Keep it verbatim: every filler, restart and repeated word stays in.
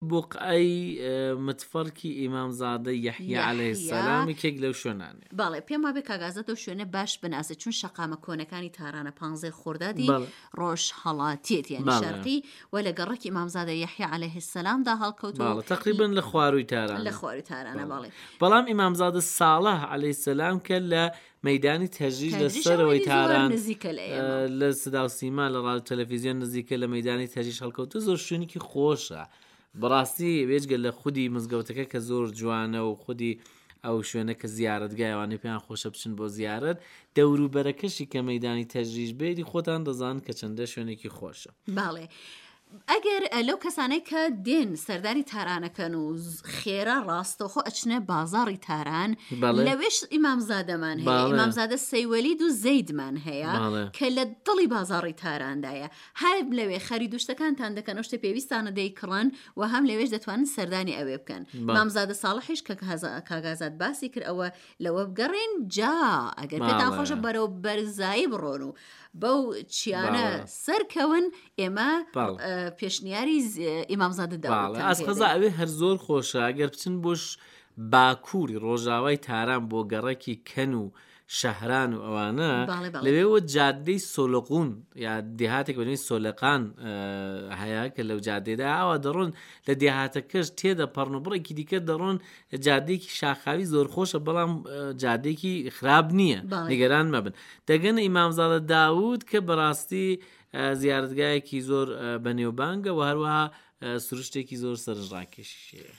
بوقعەی متفەرکی ئیمامزادە یەحیا عەلەیه السلام یەکێک لەو شوێنانەیە. بەڵێ پێم وابێ کاک ئازاد ئەو شوێنە باش بناسێت چون شەقامە کۆنەکانی تارانە پانزەی خۆردادی ڕۆژهەڵاتیەتی یعنی شەرقی و لە گەڕەکی ئیمامزادە یەحیا عەلەیه السلام دا هەڵکەوتووە بەڵێ تەقریبەن لە خوارووی تارانە لە خوارووی تارانە بەڵێ بەڵام ئیمامزادە ساڵح عەلەیه السلام کە لە مەیدانی تەجریش لە سەرەوەی تاران لە سدا و سیما لە ڕادیۆ تەلەفیزیۆن نزیکە لە مەیدانی تەجریش هەڵکەوتووە زۆر شوێنێکی خۆشە بەڕاستی بێجگە لە خودی مزگەوتەکە کە زۆر جوانە و خودی ئەو شوێنە کە زیارەتگای ئەوانەی پێیان خۆشە بچن بۆ زیارەت دەوروبەرەکەشی کە مەدانی تەجریش بێری خۆتان دەزان کە چەندە شوێنێکی خۆشە. بەڵێ ئەگەر لەو کەسانەی کە دێن سەردانی تارانەکەن و خێرا ڕاستەوخۆ ئەچنە بازاڕی تاران لەوێش ئیمامزادەمان هەیە ئیمامزادە سەیوەلید و زەیدمان هەیە کە لە دڵی بازاڕی تاراندایە هەر لەوێ خەرید و شتەکانتان دەکەن ئەو شتە پێویستانە دەیکڕن و هەم لەوێش دەتوانن سەردانی ئەوێ بکەن مامزادە ساڵحیش کە کاک ئازاد باسی کرد ئەوە لەوە بگەڕێن جا ئەگەر پێتان خۆشە بەرەو بەرزایی بڕۆن و بەو چیانە سەرکەون ئێمە پێشنیاری ئیمامزادە داوەتان ئەس قەزا ئەوێ هەر زۆر خۆشە ئەگەر بچن بۆش باکووری ڕۆژاوای تاران بۆ گەڕەکی کەن و شەهران و ئەوانە لەوێوە جادەی سۆلقون یا دێهاتێک بە ناوی سۆلقان هەیە کە لەو جادەیەدا ئاوا دەڕۆن لە دێهاتەکەش تێدەپەڕن و بڕێکی دیکە دەڕۆن جادەیەکی شاخاوی زۆر خۆشە بەڵام جادەیەکی خراپ نییە نیگەران مەبن دەگەنە ئیمامزادە داود کە بەڕاستی زیارەتگایەکی زۆر بەنێوبانگە و هەروەها سروشتێکی زۆر سەرنجڕاکێشیشەیە.